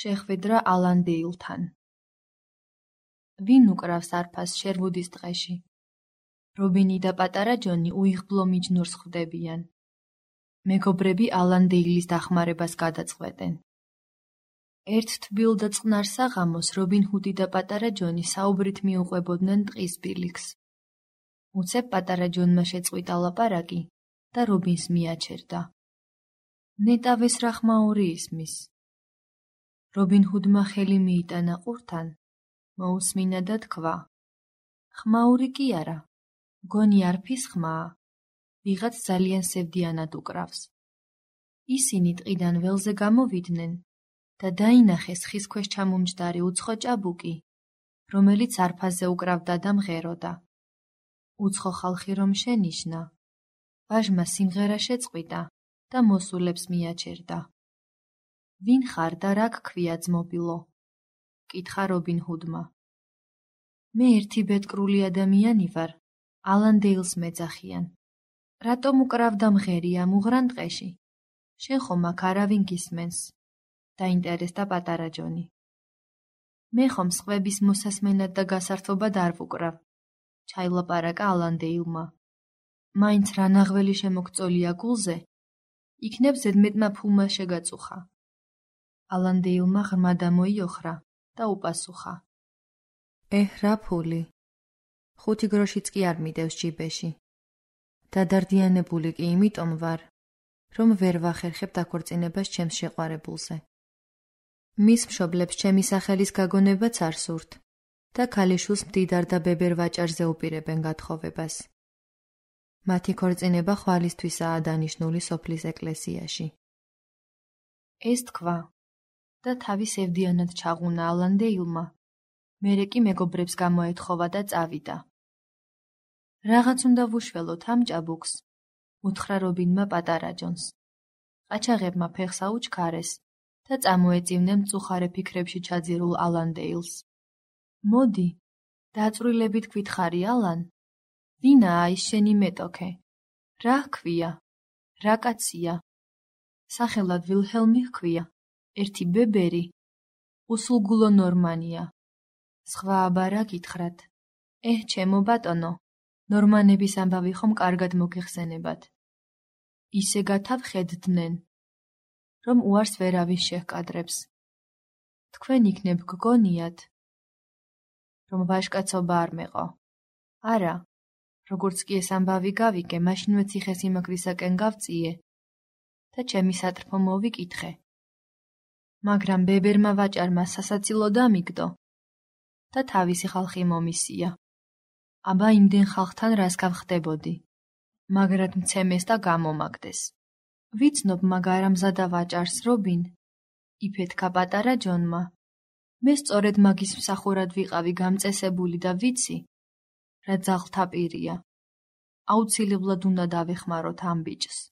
შეხვედრა ალან დეილთან. ვინ უკრავს არფას შერვუდის ტყეში? რობინი და პატარა ჯონი უიღბლო მიჯნურს ხვდებიან. მეგობრები ალან დეილის დახმარებას გადაწყვეტენ. ერთ თბილ და წყნარ საღამოს რობინ ჰუდი და პატარა ჯონი საუბრით მიუყვებოდნენ ტყის ბილიქს. უცებ პატარა ჯონმა შეწყვიტა ლაპარაკი და რობინს მიაჩერდა. ნეტავეს რა ხმაური ისმის. რობინ ჰუდმა ხელი მიიტანა ყურთან, მოусმინა და თქვა: ხმაური კი არა, მგონი არფის ხმაა, ვიღაც ძალიან სევდიანად უკრავს. ისინი ტყიდან ველზე გამოვიდნენ და დაინახეს ხის ქვეშ ჩამომჯდარი უცხო ჭაბუკი, რომელიც არფაზე უკრავდა და მღეროდა. უცხო ხალხი რომ შენიშნა, ვაჟმა სიმღერა შეწყვიტა და მოსულებს მიაჩერდა. ვინ ხარ და რა გქვია ძმობილო? კითხა რობინ ჰუდმა. მე ერთი ბედკრული ადამიანი ვარ, ალან დეილს მეძახიან. რატომ უკრავ და მღერი ამ უღრან ტყეში? შენ ხომ აქ არავინ გისმენს? დაინტერესდა პატარა ჯონი. მე ხომ სხვების მოსასმენად და გასართობად არ ვუკრავ, ჩაილაპარაკა ალან დეილმა. მაინც რა ნაღველი შემოგწოლია გულზე, იქნებ ზედმეტმა ფულმა შეგაწუხა. ალან დეილმა ღრმა დამოიოხრა და უპასუხა. რა ფული? 5 გროშიც კი არ მიდევს ჯიბეში. დადარდიანებული კი იმიტომ ვარ, რომ ვერ ვახერხებ დაქორწინებას ჩემს შეყვარებულზე. მის მშობლებს ჩემი სახელის გაგონებაც არ სურთ და ქალიშვილს მდიდარ და ბებერ ვაჭარზე უპირებენ გათხოვებას. მათი ქორწინება ხვალისთვისაა დანიშნული სოფლის ეკლესიაში. ეს თქვა და თავი სევდიანად ჩაღუნა ალან დეილმა, მერე კი მეგობრებს გამოეთხოვა და წავიდა. რაღაც უნდა ვუშველოთ ამ ჭაბუკს, უთხრა რობინმა პატარა ჯონს. ყაჩაღებმა ფეხს აუჩქარეს და წამოეწივნენ მწუხარე ფიქრებში ჩაძირულ ალან დეილს. მოდი, დაწვრილებით გვითხარი ალან, ვინაა ის შენი მეტოქე? რა ჰქვია? რა კაცია? სახელად ვილჰელმი ჰქვია, ერთი ბებერი, უსულგულო ნორმანია. სხვა აბა რა გითხრათ? ჩემო ბატონო, ნორმანების ამბავი ხომ კარგად მოგეხსენებათ. ისე გათავხედდნენ, რომ უარს ვერავის შეჰკადრებს. თქვენ იქნებ გგონიათ, რომ ვაჟკაცობა არ მეყო. არა, როგორც კი ეს ამბავი გავიგე, მაშინვე ციხესიმაგრისაკენ გავწიე და ჩემი სატრფო მოვიკითხე. მაგრამ ბებერმა ვაჭარმა სასაცილო დამიგდო და თავისი ხალხი მომისია. აბა იმდენ ხალხთან რას გავხდებოდი, მაგრად მცემეს და გამომაგდეს. ვიცნობ მაგ არამზადა ვაჭარს რობინ, იფეთქა პატარა ჯონმა. მე სწორედ მაგის მსახურად ვიყავი გამწესებული და ვიცი, რა ძაღლთა პირია. აუცილებლად უნდა დავეხმაროთ ამ ბიჭს.